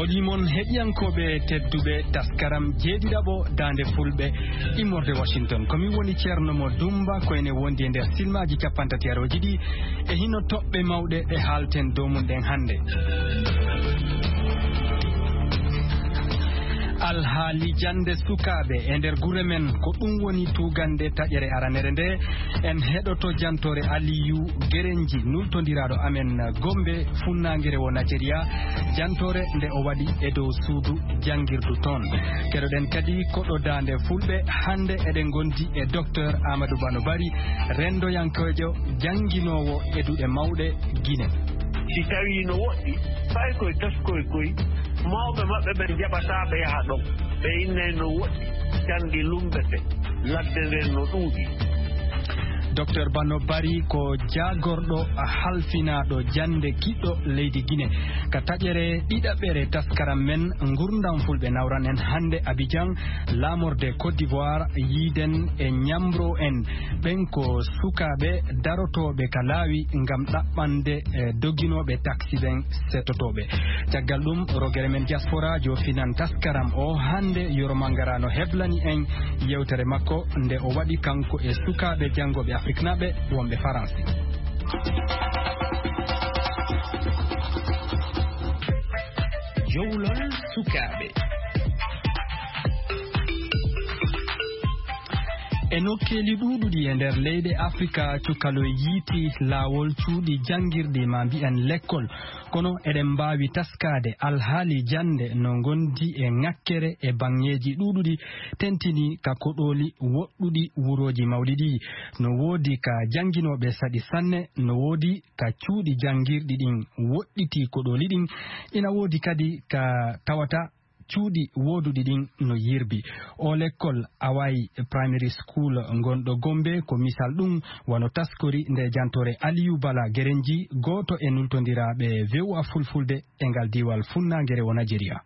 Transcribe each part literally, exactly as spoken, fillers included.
Oɗi mon heɗiyankooɓe tedduɓe, taskaram jeeɗiɗaɓo Daande Fulɓe immorde Washington. Ko min woni Ceerno Mo Dumba, ko ene wondi e nder silmaaji cappantateerooji ɗi e hino toɓɓe mawɗe ɗe haalten dow mum ɗen hannde. Alhaali jannde sukaaɓe e nder gure men, ko ɗum woni tuugannde taƴere aranere nde. En heɗoto jantoore Aliyu Gerenji, nultondiraaɗo amen Gombe, funnaangere wo Najeriya, jantoore nde o waɗi e dow suudu janngirdu toon. Keɗoɗen kadi koɗo Daande Fulɓe, hannde eɗen ngondi e Docteur Amadou Bano Bari, renndoyankoojo jannginoowo e duɗe mawɗe Gine. Si tawii no woɗɗi, fay koye taskoy koy, mawɓe maɓɓe ɓen njaɓataa ɓe yaha ɗon. Ɓe innay no woɗɗi, jannge lummbete, ladde nden no ɗuuɗi. Docteur Bano Bari ko jaagorɗo halfinaaɗo jannde kiɗɗo leydi Gine. Ka taƴere ɗiɗaɓere taskaram men, ngurndam Fulɓe nawran en hannde Abidjan, laamorde Côte d'Ivoire, yiiden e ñamro en. Ɓen ko sukaaɓe darotooɓe ka laawi ngam ɗaɓɓande, eh, doginooɓe taksi ɓen setotooɓe. Caggal ɗum, rogere men diaspora jofinan taskaram o hannde, Yoro Mangara no heblani en yewtere makko nde o waɗi kanko e sukaaɓe janngooɓe Afriknaaɓe wonɓe Faransi. Jowlol sukaaɓe. E nokkeeli ɗuuɗuɗi e nder leyɗe Afrika, cukaloy yiiti laawol cuuɗi janngirɗi, ma mbi'en lekkol. Kono eɗen mbaawi taskaade alhaali jannde no ngondi e ŋakkere e baŋŋeeji ɗuuɗuɗi, tentini ka koɗooli woɗɗuɗi wurooji mawɗi ɗi. No woodi ka jannginooɓe saɗi sanne, no woodi ka cuuɗi janngirɗi ɗin woɗɗiti koɗooli ɗin, ina woodi kadi ka tawata cuuɗi wooduɗi ɗin no yirbi. O lekkol Awai Primary School ngonɗo Gombe ko misal ɗum, wano taskori nde jantoore Aliyu Bala Gerenji, gooto e nultondiraaɓe V O A Fulfulde e ngal diiwal funnaangere wo Najeriya.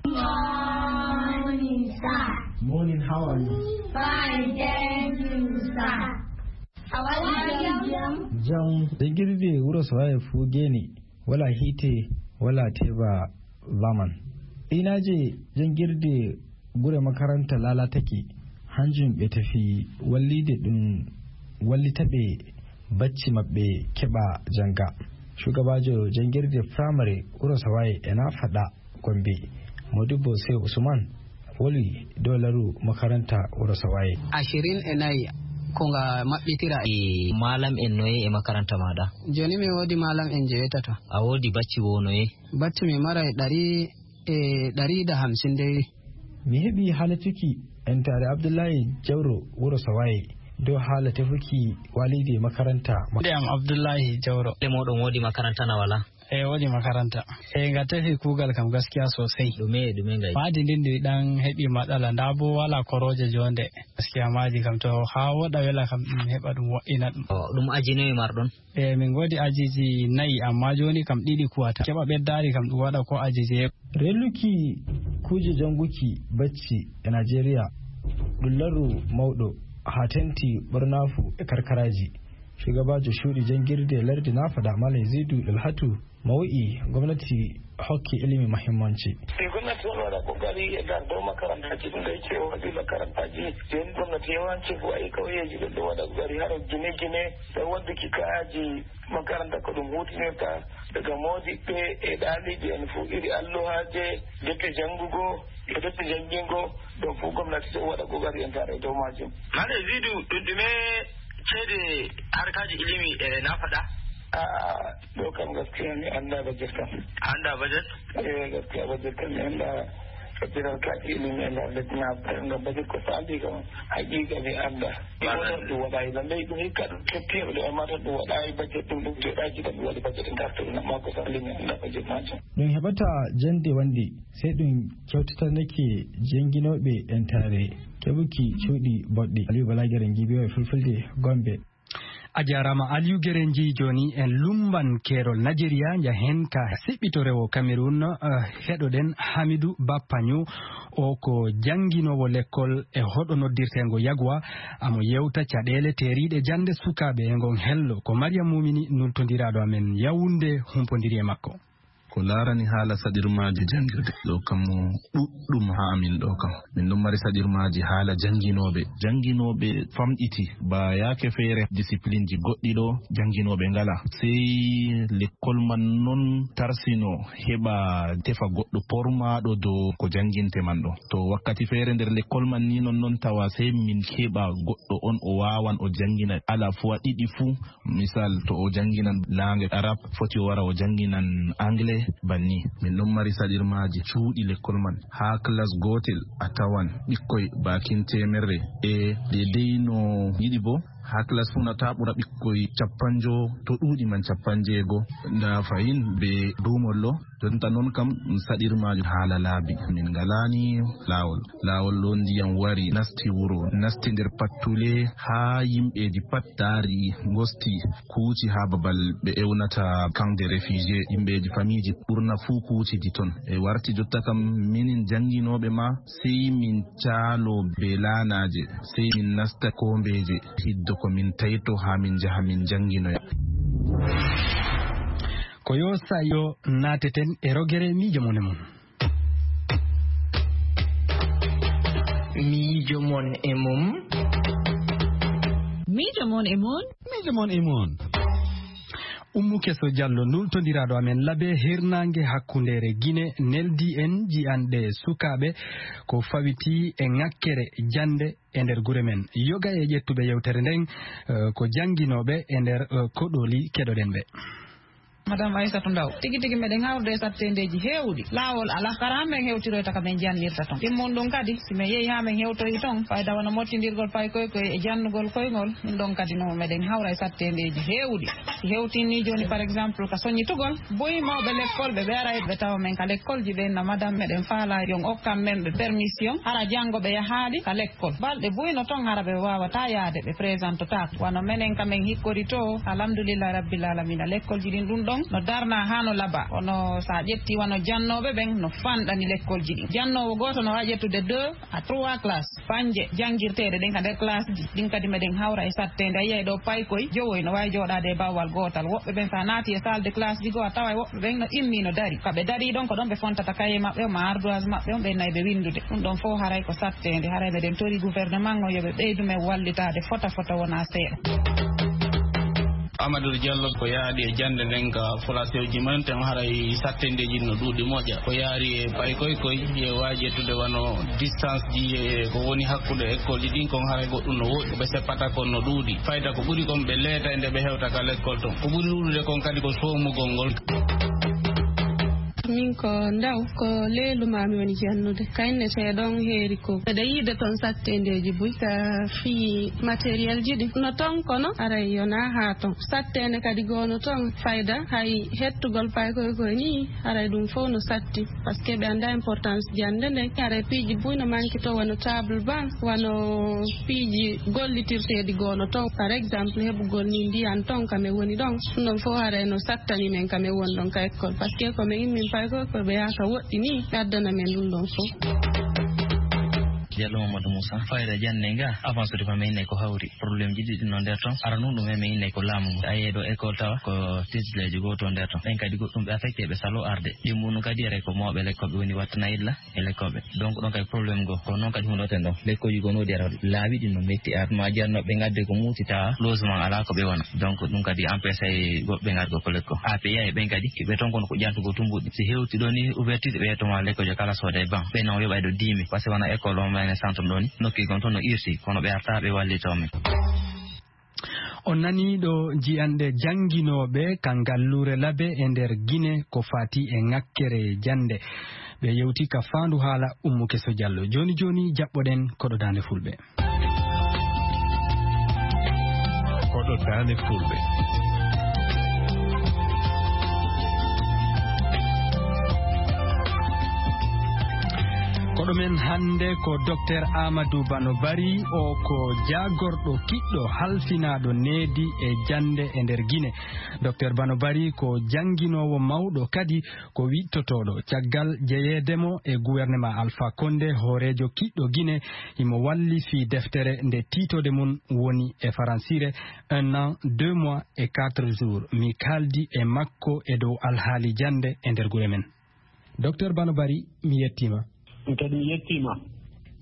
Morning, sir. Morning, how are you? Fine, thank you, sir. How are you? Jam. Jangirde wuro Sowaye fu geni. Wala hiite, wala teba laman. Inaaje janngirde gure makaranta laalatake, hanjum ɓe tefi walliide ɗum wallita ɓe bacci maɓɓe keɓa jannga. Shugabaajo janngirde firamare wuro Sawaye e nafaɗa Gombe, Modibbo Sey Usman, woli dow laru makaranta wuro Sawaye. Ashirin e nayi ko nga maɓɓitira. E malam en noye e makaranta maɗa? Joni mi wodi malam en jeetato. A wodi bacci wo noye? Bacci mi maray ɗari e ɗari da hamsin dey. Mi heɓi haala cuki entare Abdullahi Jawro wuro Sawaye dow haala tefuki walidi makaranta. Nde am Abdullahi Jawro. E moɗon wodi makaranta na wala? E wodi makaranta. E nga tefi kugal kam gaskiya sosai. Ɗume, ɗume ngai? Maadi ndin ndi ɗan heɓi matsala, nda bo wala koroje jonde. Gaskiya maadi kam to ha woɗa wela kam ɗum heɓa ɗum wo'ina ɗum. O, ɗum aji noye marɗon? E min ngodi ajiji nayi, amma joni kam ɗiɗi kuwata. Keɓa ɓeddaari kam ɗum waɗa ko ajiji e. Reluki kuuje janguki bacci e Najeriya ɗum larru mawɗo ha tenti ɓornafu e karkaraji. Shugabaajo cuuɗi janngirde lardi Nafada, Malam Zidu Dalhatu, mo wi'i gomnati hokki ilimi muhimmanci. E gomnati on waɗa kokari e dardo makarantaji ɗum ɗo yecce o waɗi makarantaji. Joni gomnati yawanci ko waɗi kauyeji ɗum ɗo waɗa kokari haro gine gine e wadduki kaaji makaranta ko ɗum hutinirta daga modiɓɓe e ɗaliɓe en fu iri alluhaje, defte janngugo e defte janngingo. Ɗum fu gomnati ɗo waɗa kokari en tare e dow majum. Malam Zidu, ɗum ɗume ceede harkaji ilimi e Nafada? A'a, ɗo kam gaskiya mi annda bajet kam. Annda bajet? Eh, gaskiya bajet kam mi annda. Sabbira harkaji ilimi e nder lesdi Nafada, ngam bajet ko sali kam haqiqa mi annda. Mi Malam. Wonor ɗum waɗayi, lallai ɗum hikka ɗum ketti heɓde, amma tan ɗum waɗayi bajet ɗum, ɗum joɗaji tan ɗum waɗi bajet e ngartu ɗum, amma ko sali mi annda bajet majum. Ɗum heɓata jande wande, sey ɗum kewtitanake jannginooɓe entare keɓuki cuuɗi boɗɗi. Aliyu Bala Gere, G B O Fulfulde, Gombe. A jaaraama, Aliyu Gere. Nji jooni en lumban keerol Najeriya, njahen ka siɓɓito rewo Kamerun, eh, heɗoɗen Hamidu Bappanyo. O ko jannginoowo lekkol e hoɗo noddirteengo Yagwa. Amo yewta caɗeele teeriiɗe jannde sukaaɓe e ngon hello. Ko Mariam Mumini nultondiraaɗo amen Yawunde humpondiri e makko. Ko laarani haala saɗirmaaji janngirde, ɗo kam ɗuɗɗum haa amin ɗo kam. Min ɗon mari saɗirmaaji haala jannginooɓe. Jannginooɓe famɗiti, ba yaake feere, disiplinji goɗɗi ɗo, jannginooɓe ngala. Sey lekkol man non tarsino, heɓa tefa goɗɗo pormaaɗo dow ko jannginte man ɗo. To wakkati feere nder lekkol man ni non, non tawa sey min keɓa goɗɗo on o waawan o janngina ala fois ɗiɗi fuu. Misal, to o jannginan laange Arab, foti o wara o jannginan Anglais, banni. Min ɗon mari saɗirmaaji cuuɗi lekkol man. Haa klas gootel a tawan ɓikkoy baakin teemerre e deydey no yiɗi boo. Haa klas fuu na taa ɓura ɓikkoy cappanjo, to ɗuuɗi man cappanjeego. Ndaa fahin bee duumol ɗo. Jonta non kam ɗum saɗirmaajo haala laabi. Min ngalaani laawol. Laawol ɗo ndiyam wari, nasti wuro, nasti nder pattule, haa yimɓeeji pat taari, ngosti, kuuci haa babal ɓe ewnata camp de réfugié. Yimɓeeji famiiji ɓurna fuu kuucidi ton. E warti jotta kam minin jannginooɓe ma, sey min caalo bee laanaaje, sey min nasta koombeeje, hiddo ko min tayto haa min njaha min jannginoya. Ko yo sa yo naateten e rogere miijo mon e mon. Miijo mon e mum. Miijo mon e mon. Miijo mon e mon. Ummu Keso Jallo, nultondiraaɗo amen Labe, hirnaange hakkundeere Gine, neldi en ji'anɗe sukaaɓe ko fawiti e ŋakkere jannde e nder gure men. Yoga e ƴettuɓe yewtere nden, eh, ko jannginooɓe e nder, eh, koɗooli. Keɗoɗen ɓe. Madame Aissatou Ndaw, tigi tigi meɗen hawrude e satteendeeji heewɗi. Laawol alaa, hara haa men hewtiroyta ka men jannirta ton. Ɗimmun ɗum kadi, si men yehi haa men hewtoyi ton, fayda wano mottindirgol paykoy koy e jannugol koyngol, ɗum ɗon kadi no meɗen hawra e satteendeeji heewɗi. Si hewtin ni jooni, par exemple, ka soñitugol, buy mawɓe lekkol ɓe, ɓe aray ɓe tawa men ka lekkolji ɓen na madame meɗen faalaa yon okkan men ɓe permission, hara janngo ɓe yahaali ka lekkol. Balɗe buy no ton hara ɓe waawataa yaade, ɓe présentotaako. Wano menen ka men hikkori to, alhamdulillahi rabbil alamina, lekkolji ɗin ɗum ɗon no darnaa haa no labaa. Kono sa ƴetti wano jannooɓe ɓen no fanɗani lekkolji ɗin. Jannoowo gooto no waawi ƴettude deux à trois classes. Panje janngirteeɗe ɗen ka nder classe ji, ɗin kadi meɗen hawra e satteende. A yiyay ɗo paykoy jowoy no waawi jooɗaade e bawwal gootal. Woɓɓe ɓen sa naati e salle de classe ji goo, a taway woɓɓe ɓen no immii no dari. Ka ɓe darii ɗon, ko ɗon ɓe fontata kaye maɓɓe on ma ardoise maɓɓe on, ɓe nayi ɓe winndude. Ɗum ɗon fof haray ko satteende. Haray meɗen tori gouvernement on yo ɓe ɓeydu men wallitaade fota fota wonaa seeɗa. Amadou Diallo, ko yaadi e jannde nden ka folaseeji men, ten haray satteendeeji no ɗuuɗi moƴƴa. Ko yaari e paykoy koy, e waaji ƴettude wano distance ji e ko woni hakkunde ekkolji ɗin, kon haray goɗɗum no woɗɗi. Ko ɓe seppata kon no ɗuuɗi. Fayda ko ɓuri kon ɓe leeta e nde ɓe hewta ka lekkol ton. Ko ɓuri ɗuuɗude kon kadi ko soomugol ngol. Min ko ndaw, ko leelu maa mi woni jannude. Ka inneteeɗon heeri ko. Eɗe yiide ton satteendeeji buy ka fii matériel ji ɗi. No ton kono, aray yonaa haa ton. Satteende kadi goo no ton, fayda, hay hettugol paykoy koy nii, aray ɗum fof no satti. Parce que ɓe anndaa importance jannde nden. Aray piiji buy no manki to, wano table banc, wano piiji gollitirteeɗi goo no ton. Par exemple, heɓugol nii ndiyan ton ka men woni ɗon. Ɗum ɗon fof aray no sattani men ka men woni ɗon ka école. Parce que ko men immin paykoy koy ɓe yaha ka woɗɗi nii, ɓe addana men ɗum ɗon fof. Diallo Mamadou Moussa, fayda jannde nga, avancé de ko men ko hawri. Problème ji ɗiɗi no nder ton. Ara nun ɗum e men inne ko laamu ngu. A yeeɗo école tawa ko titulaire ji goo to nder ton. Ɓen kadi goɗɗum ɓe affecté ɓe salo arde. Ɗi mum kadi ere ko mawɓe lekkol ɓe woni wattana illa e lekkol ɓe. Donc ɗon kadi problème goo. Ko noon kadi hundoten ɗon. Lekkolji goo no ɗi ara laawi ɗi no metti ar. Ma jarno ɓe ngadde ko muuti tawa logement alaa ko ɓe wona. Donc ɗum kadi empêché goɗɓe ngargo ko lekko. A P A e ɓen kadi ɓe ton kono ko ƴantugo tumbuɗi. Si hewti ɗo ni ouverture ɓe yettoma lekkolji kala soode e ban. Ɓe non yoɓay ɗo dix mille. Parce que wona école on mayne centre ɗo ni. Nokki gon ton no irti. Kono ɓe arta ɓe wallito men. On nanii ɗo jiyanɗe jannginooɓe ka ngalluure Labe e nder Gine ko faati e ŋakkere jannde. Ɓe yewti ka faandu haala Ummu Keso Jallo. Jooni jooni jaɓɓoɗen koɗo Daande Fulɓe. Koɗo Daande Fulɓe. Ko Ɗumen hannde ko Doktor Amadou Bano Bari, o ko jaagorɗo kiɗɗo halfinaaɗo needi e jannde e nder Gine. Doktor Bano Bari ko jannginoowo mawɗo, kadi ko wiɗtotooɗo. Caggal jeyeede mo e gouvernement Alpha Condé, hooreejo kiɗɗo Gine, himo walli fii deftere nde tiitode mum woni e faransiire Un an, deux mois et quatre jours. Mi kaaldi e makko e dow alhaali jannde e nder gure men. Doktor Bano Bari, mi yettiima. Min kadi mi yettiima.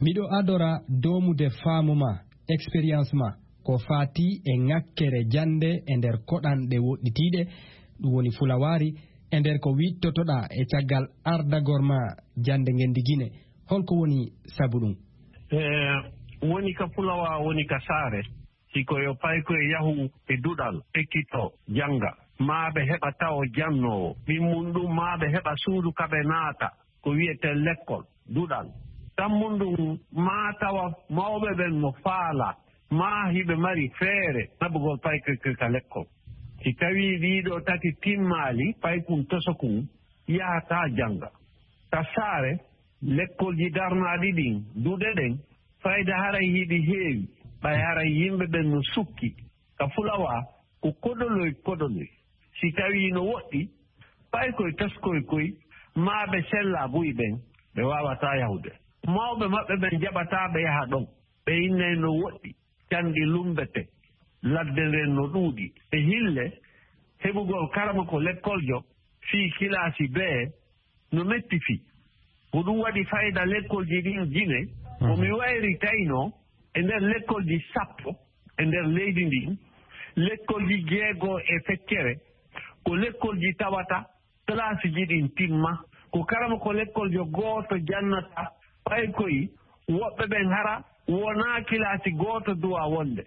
Miɗo adora doomude faamu ma, expérience ma, ko faati e ŋakkere jannde e nder koɗanɗe woɗɗitiiɗe, ɗum woni Fulawaari, e nder ko wiɗtotoɗaa e caggal ardagol ma jannde ngenndi Gine. Holko woni sabu ɗum? E, woni ka Fulawa, woni ka saare. Si ko yo paykoy yahu e duɗal, ekkitoo, jannga, maa ɓe heɓa tawo jannoowo. Ɗimmun ɗum, maa ɓe heɓa suudu ka ɓe naata, ko wi'etee lekkol, duɗal. Ɗammun ɗum, maa tawa mawɓe ɓen no faalaa, maa hiɓe mari feere naɓugol paykoy ka lekkol. Si tawii ɗii ɗoo tati timmaali, paykun tosokun yahataa jannga. Ka saare, lekkolji darnaaɗi ɗin, duɗe ɗen, fayda haray hiɗi heewi, ɓay haray yimɓe ɓen no sukki. Ka Fulawa, ko koɗoloy koɗoloy. Si tawii no woɗɗi, paykoy toskoy koy, maa ɓe sellaa buy ɓen, ɓe waawataa yahude. Mawɓe maɓɓe ɓen jaɓataa ɓe yaha ɗon. Ɓe innay no woɗɗi, canɗi lummbete, ladde nden no ɗuuɗi. E hille, heɓugol karamoko lekkoljo fii kilaasi bee no metti fii. Ko ɗum waɗi fayda lekkolji ɗin Gine, ko mi wayri taynoo e nder lekkolji sappo e nder leydi ndin, lekkolji jeego e feccere, ko lekkolji tawata kilaasiji ɗin timma, ko karamoko lekkoljo gooto jannata, paykoy woɓɓe ɓen hara wonaa kilaasi gooto duwaa wonde.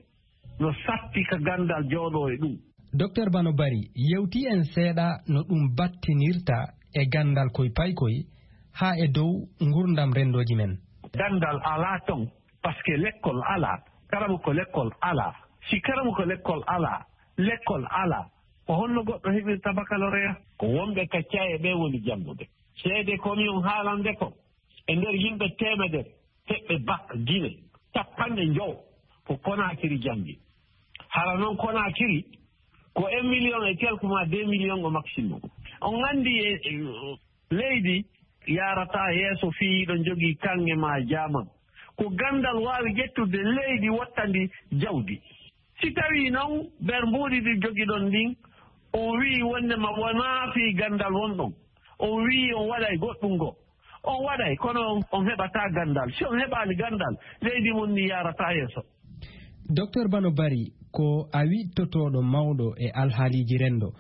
No satti ka ganndal jooɗoo e ɗum. Doktor Bano Bari, yewtii en seeɗa no ɗum battinirta e ganndal koy paykoy haa e dow ngurndam renndooji men. Ganndal alaa ton, parce que lekkol alaa, karamoko lekkol alaa. Si karamoko lekkol alaa, lekkol alaa, ko honno goɗɗo heɓirta baccalauréat? Ko wonɓe ka caye ɓe woni janngude. Seede ko mi on haalande kon, e nder yimɓe teemedere heɓɓe bac Gine, cappanɗe njowo ko Konaakiri janngi. Hara non Konaakiri ko un million et quelque maa deux million au maximum. On anndi e, e, leydi yaarataa yeeso fii hiɗon jogii kaŋŋe maa jaaman. Ko ganndal waawi ƴettude leydi wottandi jawdi. Si tawii non nder mbuuɗi ɗi jogiɗon ɗin, on wi'i wonndema wonaa fii ganndal wonɗon, on wi'i on waɗay goɗɗum goo. On waɗay, kono on, on heɓataa ganndal. Si on heɓaali ganndal, leydi mon ndin yaarataa yeeso. Doktor Bano Bari, ko a wiɗtotooɗo mawɗo e alhaaliiji renndo.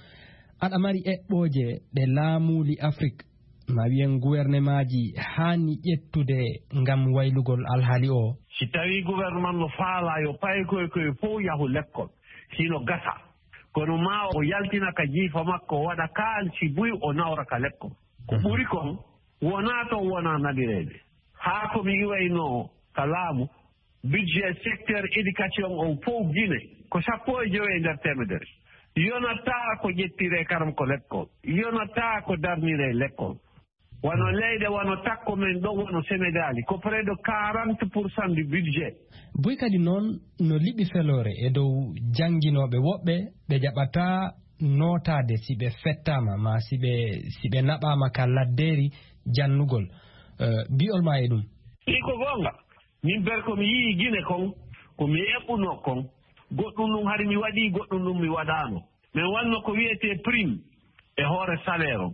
Aɗa mari eɓɓooje ɗe laamuuli Afrik, maa wiyen guwernemaaji, haani ƴettude ngam waylugol alhaali oo? Si tawii guwerneman no faalaa yo paykoy koy fow yahu lekkol, hino gasa. Kono maa o yaltina ka jiifa makko, o waɗa kaalisi buy, o nawra ka lekkol. Ko ɓuri kon, wonaa to wonaa naɓireede. Haa ko mi iwaynoo ka laamu, budget secteur éducation on fow Gine ko sappo e jowi e nder teemedere. Yonataa ko ƴettiree karamoko lekkol, yonataa ko darniree lekkol. Wano leyɗe wano takko men ɗon, wano Senegaali, ko près de quarante pour cent du budget. Buy kadi noon no liɓi feloore e dow jannginooɓe woɓɓe ɓe jaɓataa nootaade si ɓe fettaama, maa si ɓe, si ɓe naɓaama ka laddeeri jannugol. Eh, bi'ol maa e ɗum? Ɗi ko goonga. Min ber ko mi yi'i Gine kon, ko mi eɓɓunoo kon, goɗɗum ɗum hari mi waɗii, goɗɗum ɗum mi waɗaano. Min wanno ko wi'etee prime e hoore salaire on.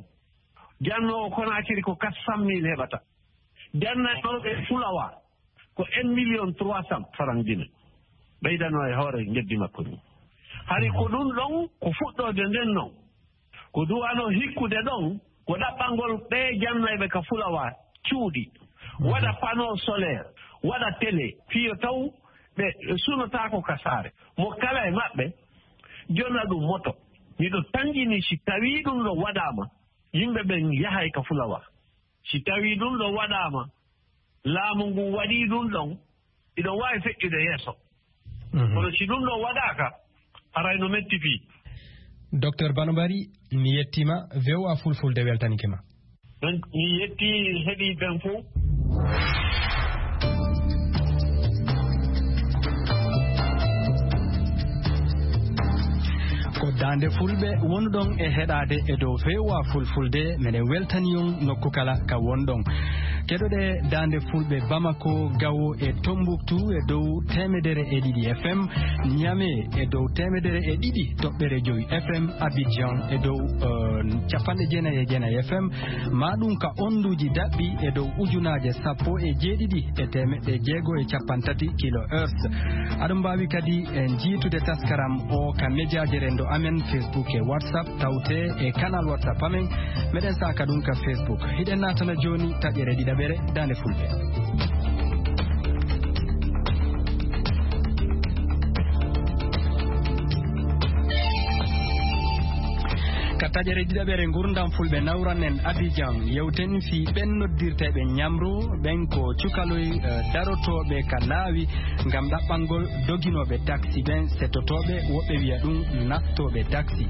Jannoowo Konaakiri ko quatre cent mille heɓata. Jannanooɓe Fulawa ko un million trois cent francs Gine. Ɓeydanoo e hoore ngeddi makko ndin. Hari ko ɗum ɗon, ko fuɗɗoode nden non. Ko duwano hikkude ɗon, ko ɗaɓɓangol ɓee jannayɓe ka Fulawa cuuɗi, waɗa panneau solaire, waɗa télé, fii yo taw ɓe sunotaako ka saare. Mo kala e maɓɓe jonna ɗum moto. Miɗo tanƴini si tawii ɗum ɗon waɗaama, yimɓe ɓen yahay ka Fulawa. Si tawii ɗum ɗon waɗaama, laamu ngun waɗii ɗum ɗon, hiɗon waawi feƴƴude yeeso. Mhm. Kono si ɗum ɗon waɗaaka, haray no metti fii. Docteur Bano Bari, mi yettiima, V O A Fulfulde weltanike ma. Donc, mi yettii heɗiiɓe ɓen fow. Daande Fulɓe wonɗon e heɗaade e dow V O A Fulfulde, meɗen weltani on nokku kala ka wonɗon. Keɗoɗe Daande Fulɓe Bamako, Gawo e Tombouctou e dow teemedere e ɗiɗi F M, Niamey e dow teemedere e ɗiɗi toɓɓere jowi F M, Abidjan e dow, eh, capanɗe jeenayi e jeenayi F M, maa ɗum ka onduuji daɓɓi e dow ujunaaje sappo e jeeɗiɗi e teemeɗɗe jeego e capanɗe tati kilohertz. Aɗon mbaawi kadi, eh, jiytude taskaram o ka mejaaje renndo amen, Facebook e WhatsApp, tawte e canal WhatsApp amen. Meɗen saaka ɗum ka Facebook. Hiɗen naatana jooni taƴere ɗiɗaɓere Daande Fulɓe. Ka taƴere ɗiɗaɓere Ngurndan Fulɓe, nawran en Abidjan, yewten fii ɓen noddirteeɓe ñamro, ɓen ko cukaloy, eh, darotooɓe ka laawi ngam ɗaɓɓangol doginooɓe taksi ɓen, settotooɓe, woɓɓe wiya ɗum nattooɓe taksi.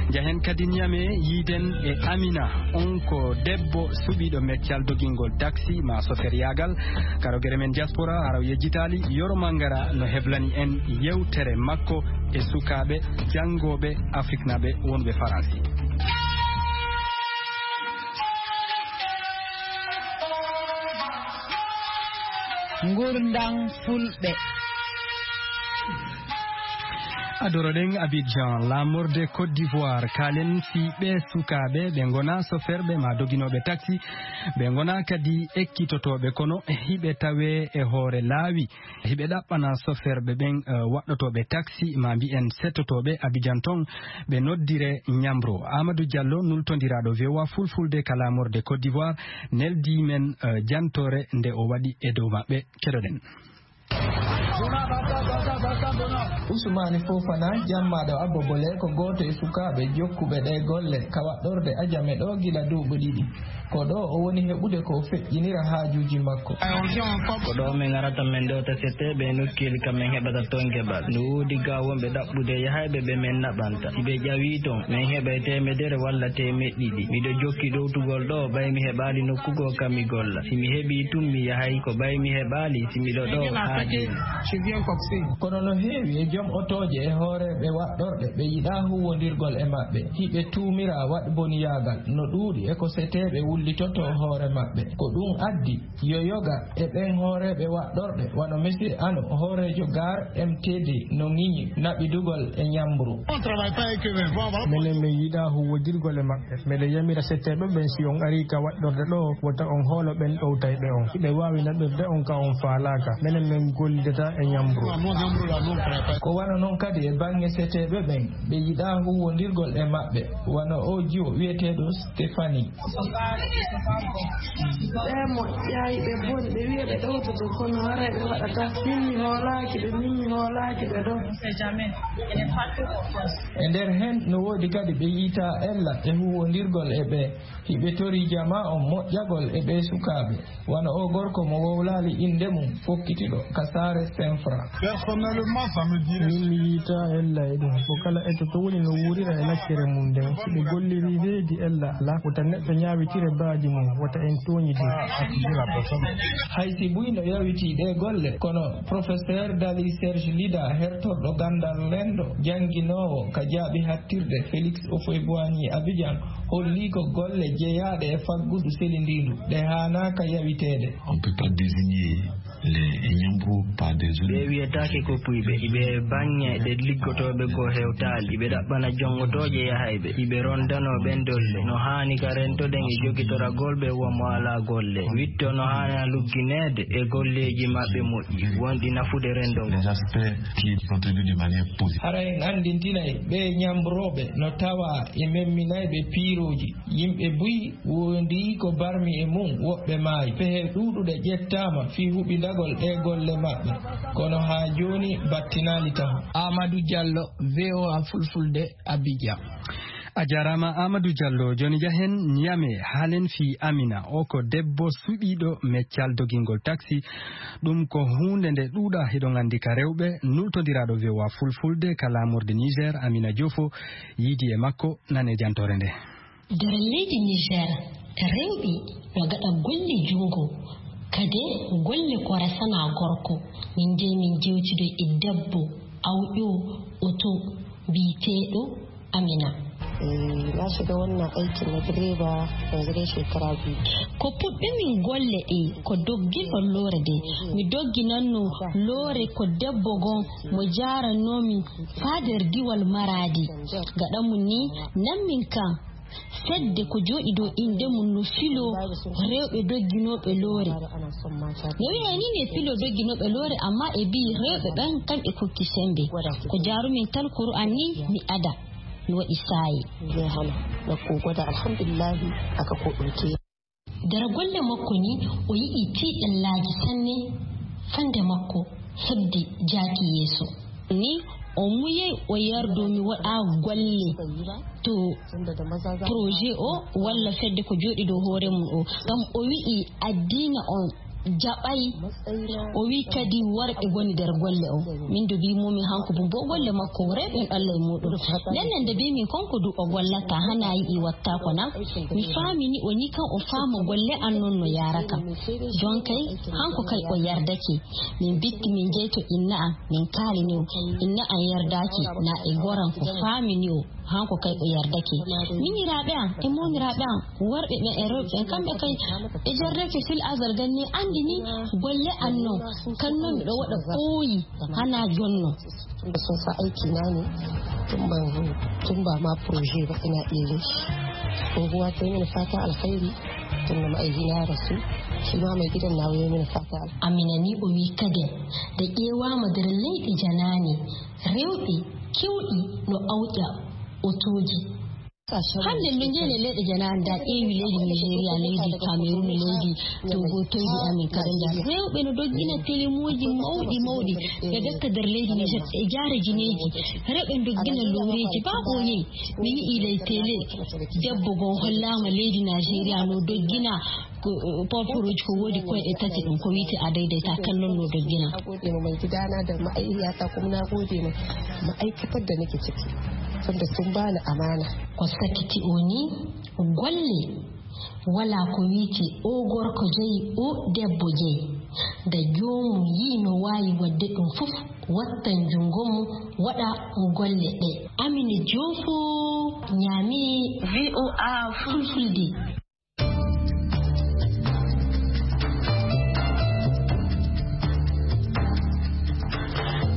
Njahen kadi Niamey, yiiden e Amina, on ko debbo suɓiiɗo meccal dogingol taksi maa soferyaagal. Ka rogere men diaspora, hara o yejjitaali, Yoro Mangara no heblani en yewtere makko e sukaaɓe janngooɓe afriknaaɓe wonɓe Faransi. Ngurndan Fulɓe. Adoroɗen Abidjan, laamorde Côte d'Ivoire, kaalen fii ɓee sukaaɓe ɓe ngonaa soferɓe maa doginooɓe taksi, ɓe ngonaa kadi ekkitotooɓe, kono hiɓe tawee e hoore laawi. Hiɓe ɗaɓɓana soferɓe ɓen, eh, waɗɗotooɓe taksi, maa mbiyen settotooɓe Abidjan ton, ɓe noddire ñamro. Amadou Diallo, nultondiraaɗo V O A Fulfulde ka laamorde Côte d'Ivoire, neldii men, eh, jantoore nde o waɗi e dow maɓɓe. Keɗoɗen. Usumani Fofana, jammaaɗo Abbo Bole, ko gooto e sukaaɓe jokkuɓe ɗee golle ka waɗɗorde Ajame ɗoo gila duuɓi ɗiɗi. Ko ɗoo o woni heɓude ko o feƴƴinira haajuuji makko. Ko ɗoo min arata min ɗowta settee ɓe nokkeeli ka min heɓata ton geɓal. No woodi gaa wonɓe ɗaɓɓude yahayɓe ɓe min naɓanta. Si ɓe ƴawii ton, min heɓay teemedere walla teemeɗɗe ɗiɗi. Miɗo jokki ɗowtugol ɗoo, ɓay mi heɓaali nokku goo ka mi golla. Si mi heɓii tun, mi yahay, ko ɓay mi heɓaali si miɗo ɗoo haa jooni. Kono no heewi e jom otooje e hooreeɓe waɗɗorɗe ɓe yiɗaa huuwondirgol e maɓɓe, hiɓe tuumira waɗboniyaagal no ɗuuɗi e ko seteeɓe wullitotoo hoore maɓɓe. Ko ɗum addi yo yoga e ɓen hooreeɓe waɗɗorɗe wano Monsieur Ano, hooreejo Gare M T D, no ŋiñi naɓidugol e ñambru. Menen min yiɗaa huuwondirgol e maɓɓe. Meɗen yamira setteeɓe ɓen, si on arii ka waɗɗorde ɗoo, wota on hoolo ɓen ɗowtayɓe on. Hiɓe waawi naɓirde on ka on faalaaka. Menen min gollidataa e ñambru. Ko wano non kadi e baŋŋe seteeɓe ɓen, ɓe yiɗaa huuwondirgol e maɓɓe, wano oo jiwo wi'eteeɗo Stéphanie. Ɓe moƴƴaay, ɓe boni, ɓe wi'a ɓe ɗowtoto, kono haray ɓe waɗataa. Min mi hoolaaki ɓe, min mi hoolaaki ɓe ɗoo. E nder hen, no woodi kadi ɓe yi'ataa ella e huuwondirgol e ɓee. Hiɓe torii jamaa on moƴƴagol e ɓee sukaaɓe, wano oo gorko mo wowlaali innde mum, fokkitiiɗo ka saare Senfra. Min mi yi'ataa ella e ɗum. Ko kala ettoto woni no wuurira e laccere mum nden. Si ɓe gollirii reedi ella alaa, wota neɗɗo ñaawitire baadi mum, wota en tooñidir. Hay si buy no yawitii ɗee golle, kono Professeur Dali Serge Lida, hertorɗo ganndal renndo, jannginoowo ka jaaɓi hattirde Félix Houphouët-Boigny Abidjan, hollii ko golle jeyaaɗe e faggudu selindiindu ɗe haanaaka yawiteede. On peut pas désigner les ñambro par des... Ɓe wiyetaake ko puyɓe, iɓe e baŋŋe ɗe liggotooɓe goo hewtaali, iɓe ɗaɓɓana jongotooje yahayɓe, iɓe rondanoo ɓen dolle. No haani ka rentoɗen e jogitoragol ɓe won mo alaa golle. Witto no haani luggineede e golleeji maɓɓe moƴƴi, wonɗi nafude renndo ngo. Les aspects qui contribuent de manière positive. Hara en anndintinay ɓee ñambrooɓe no tawaa e memminayɓe piirooji. Yimɓe buy wondi ko barmi e mum, woɓɓe maayi. Pehe ɗuuɗuɗe ƴettaama fii huɓindagol ɗee golle maɓɓe, kono haa jooni battinaali taho. Amadou Diallo, V O A Fulfulde, Abidjan. A jaaraama Amadou Diallo. Jooni jahen Niamey, haalen fii Amina. O ko debbo suɓiiɗo meccal dogingol taksi. Ɗum ko huunde nde ɗuuɗaa, hiɗon anndi, ka rewɓe. Nultondiraaɗo V O A Fulfulde ka laamorde Niger, Amina Diofo, yiidi e makko. Nan e jantoore nde. Nder leydi Niger, rewɓe no ngaɗa golle junngo, kadi golle ko resana gorko. Min njehi min njewtidoyi e debbo awƴo oto biyeteeɗo Amina. Eh, na shiga wannan aikin na direba yanzu dai shekara biyu. Ko puɗɗumi golle ɗe ko dogginɗo loore de. Mi dogginanno loore ko debbo gon mo jaarannomi faa nder diwal Maraadi. Gaɗa mum ni, nan min kan fedde ko jooɗi dow innde mum no filo rewɓe dogginooɓe loore. No wi'ay ni ne filo dogginooɓe loore, amma e mbi'i rewɓe ɓen kamɓe kokki sembe. Ko jaarumin tan Kur'an ni mi ada. Mi waɗi saayi. Zai hana na kogo da alhamdulillahi aka ko ɗauke. Nder golle makko ni o yi'i tiiɗallaaji sanne fannde makko heɓde jaaki yeeso. Ni o muyay o yardo mi waɗa golle to projet o walla fedde ko jooɗi dow hoore mum o. Ngam o wi'i addiina on jaɓay. O wi kadi worɓe ngoni nder golle o. Min do mbi momi hanko bumbo golle makko rewɓe en Allah e muɗum. Nden nde mbi min konko du o gollata hana yiɗi watta ko na. Mi faami ni o ni kan o faama golle an non no yaraka. Jonkay hanko kay o yardake. Min bitti min jeyto inna an min kaalini o. Inna an yardaki na e goran ko faami ni o. Hanko kay o yardake. Miñiraaɓe am e mooniraaɓe am worɓe ɓen e rewɓe ɓen kamɓe kay ɓe jardake fil azal ganni anndi ni golle an non kan non miɗo waɗa ɓooyi hana jonno. Tunda sun sa aiki na ne tun ban tun ba ma proje ba ina iya yin shi. Unguwa ta yi mini fata alkhairi tun da ma'aikina ya rasu shi ma mai gidan nawa ya mini fata alkhairi. Amina ni o wi kaden da ƴeewama nder leyɗe janaane rewɓe kewɗi no awƴa otooji. Hannde no njeene leyɗe janaane da ƴeewi leydi Nigeria leydi Cameroun leydi Togo toydi amin kadi nda rewɓe no doggina telemooji mawɗi mawɗi ɓe gatta nder leydi Niger e jaara jineeji rewɓe doggina looreeji ba ɓooyey mi yi'i ley tele debbo goo hollaama leydi Nigeria no doggina porporooji ko woodi koyɗe tati ɗum ko wiyte a daydayta kan non no doggina. Gode ma mai gidana da ma'aikata kuma na gode ma ma'aikatar da nake ciki tunda sun bani amana. Ko sakiti o ni golle wala ko wiyte o gorko jeyi o debbo jeyi da joomum yii no waawi waɗde ɗum fof wattan junngo mum waɗa golle ɗe. Amine Joofo ñaami V O A Fulfulde.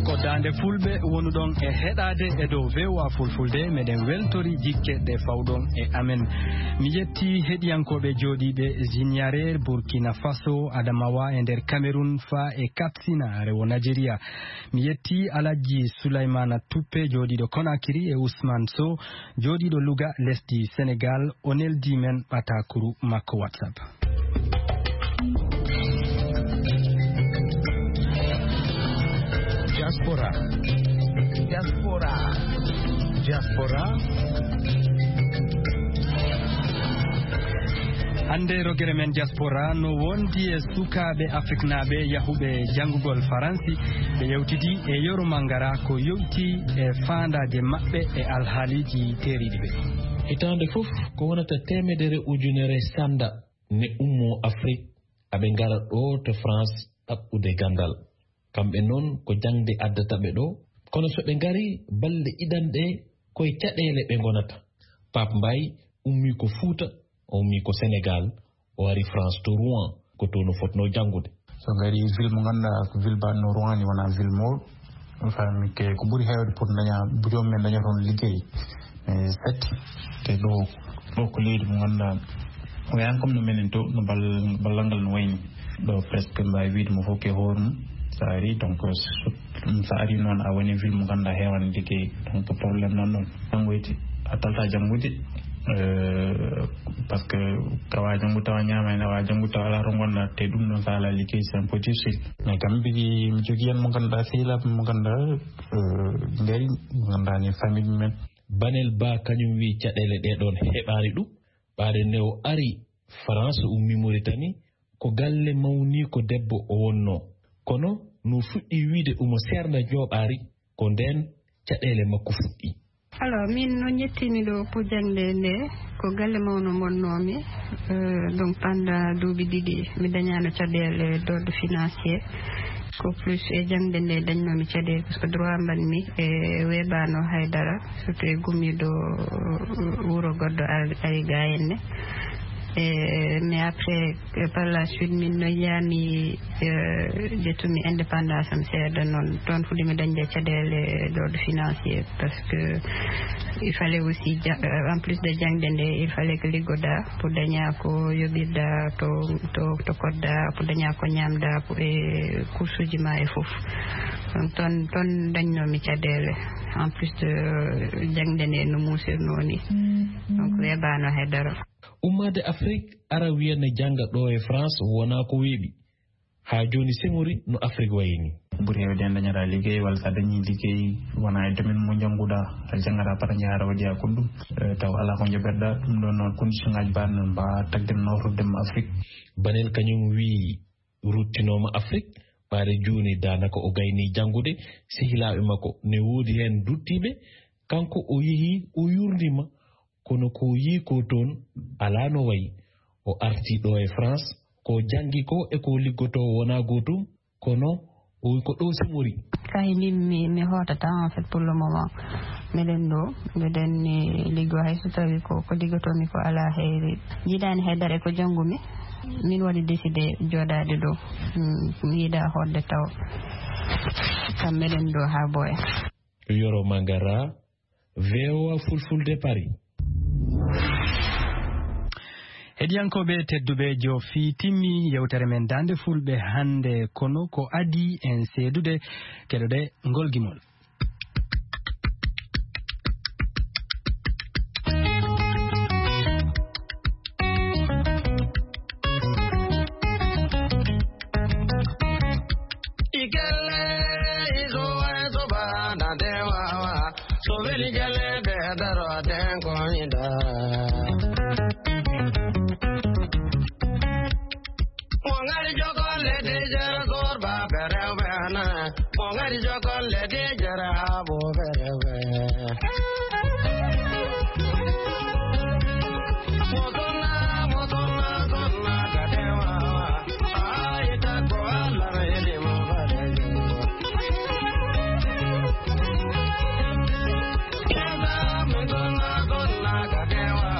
Ko daande fulɓe wonuɗon e heɗaade e dow V O A Fulfulde meɗen weltori jikke ɗe fawɗon e amen. Mi yetti heɗiyankooɓe jooɗiiɓe Zinyare, Burkina Faso, Adamawa e nder Cameroun faa e Katsina, rewo Nigeria. Mi yetti Alhaji Sulaymana Tuppe jooɗiiɗo Konakiri e Ousmane Sow jooɗiiɗo Louga lesdi Senegal o neldi men ɓataakuru makko WhatsApp. Diaspora. Diaspora. Diaspora. Hannde rogere men diaspora no wondi e sukaaɓe afriknaaɓe yahuɓe janngugol faransi ɓe yewtidi e yoro mangara ko yowti e faandaaje maɓɓe e alhaaliiji teeriiɗi ɓe. Hitaande fof ko wonata teemedere ujunere sannda ne ummoo Afrik aɓe ngara ɗoo to France ɗaɓɓude ganndal. Kamɓe noon ko jaŋde addata ɓe ɗoo, kono so ɓe ngarii balɗe ɗiɗanɗe ko e caɗeele ɓe ngonata. Paap Mbaay ummii ko Fuuta, o ummii ko Senegaal, o ari France to Rouen, ko toon o fotnoo janngude. So ngarii ville mo ngannduɗaa ko ville baɗno Rouen ni wonaa ville mawɗo. Faami ke ko ɓuri heewde pour daña joom men daña toon liggey e satti te ɗo ɗo ko leydi mo ngannduɗaa o yaani comme no menen to no ballal ngal no wayni ɗo presque mbaawi wiide mo fof ke hoore mum so ari donc so ari noon a woni ville mo ngannduɗaa heewani liggey donc problème nan ɗon janngoyde a talta janngude par ce que kawa janngude tawa ñaama heen awa janngude tawa alaa to ngonɗaa te ɗum ɗon so alaa liggey c'est un peu difficile mais kam mbigi mi jogii heen mo ngannduɗaa sehilaaɓe mo ngannduɗaa ngari ngannduɗaa ni famille mumen. Banel Ba kañum wiyi caɗeele ɗee ɗoon heɓaani ɗum ɓaade nde o ari France ummi Mauritanie ko galle mawniiko debbo o wonnoo kono no fuɗɗii wiyde omo seernda njooɓaari ko ndeen caɗeele makko fuɗɗii. Alors min noon njettiimi ɗo pour jaŋde nde ko galle mawno mbonnoomi donc pendant duuɓi ɗiɗi mi dañaano caɗeele d'ordre financier. Ko plus e jaŋde nde dañnoomi caɗeele, parce que droit mbaɗmi e weebaano hay dara, surtout e gummiiɗo wuro goɗɗo ar-, ari ga henne. E, mais après, e, par la suite, min no yiyaami, e, ƴettumi indépendance am seeɗa noon. Toon fuɗɗimi dañde caɗeele ɗo financier, parce que il fallait aussi ja-, en plus de jaŋde nde, il fallait que liggoɗa pour daña ko yoɓirɗa, to, to, to koɗɗa, pour daña ko ñamɗa, pour, e, coursuji ma e fof. Donc, toon, toon dañnoomi caɗeele. En plus de jaŋde nde no muusirnoo ni. Donc, weebaano hay dara. Ummaade Afrik, ara wiya ne jannga ɗo e France, wonaa ko weeɓi. Haa jooni, Senghori, no Afrik wayi ni. Ɓuri heewde en dañata liggey, walla so a dañii liggey, wonaa e domaine mo njannguɗaa, a janngataa para njahaara waɗi a goɗɗum, eh, taw alaa ko njoɓirɗaa. Ɗum ɗoon noon, condition ŋaaji mbaɗ noon, mbaa tagden nawtorde mo Afrik. Banel kañum wiyi, ruttinooma Afrik, ɓaade jooni daanaka o gayni janngude, sehilaaɓe makko ne woodi heen duttiiɓe, kanko o yehi, o yurndima, kono ko yii ko toon alaa no wayi. O arti ɗo e France, ko janngi ko e ko liggotoo wonaa gootum, kono o wi ko ɗo Senghori. Kahi min mi, mi hootata, en fait, pour le moment. Miɗen ɗo, miɗen ni liggo, hay so tawi ko, ko liggotoomi ko alaa heyri. Yiɗaani hay dara e ko janngumi. Min waɗi décidé jooɗaade ɗo. Mm, mi yiɗa hoɗde taw. Kam miɗen ɗo haa boya. Yoro Mangara, V O A Fulfulde, Paris. Heɗiyankooɓe tedduɓe, joofi timmi yewtere men Daande Fulɓe hannde, kono ko adii en seedude, keɗoɗe ngol gimol. Ikele, iso, iso, ba, na, de, wa, wa. So, veli, gele, be, daro, den, ko, inda. Mo ngari jokon le de jere zorba berewe na. Mo ngari jokon le de jere abo berewe. Mo tonna, mo tonna, tonna kadewa. Ai ta ko ala re de mo bare. Mo tonna, tonna kadewa.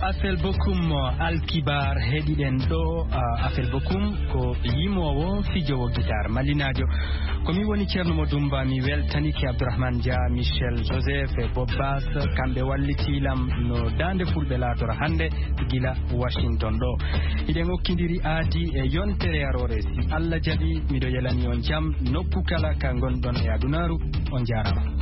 Afel Bokum, Alkibar heɗiɗen ɗo. Ah, Afel Bokum ko yimoowo, fijowo gitar malinaajo. Ko mi woni Ceerno Mo Dumba, mi weltanike Abdourahmane Dia, Michel Joseph e Bob Bass. Kamɓe wallitiilam no daande fulɓe laatora hannde gila Washington ɗo. Hiɗen okkindiri aadi e yontere aroore. Si Allah jaɓi, miɗo yelani on jam nokku kala ka ngonɗon e adunaaru. On jaaraama.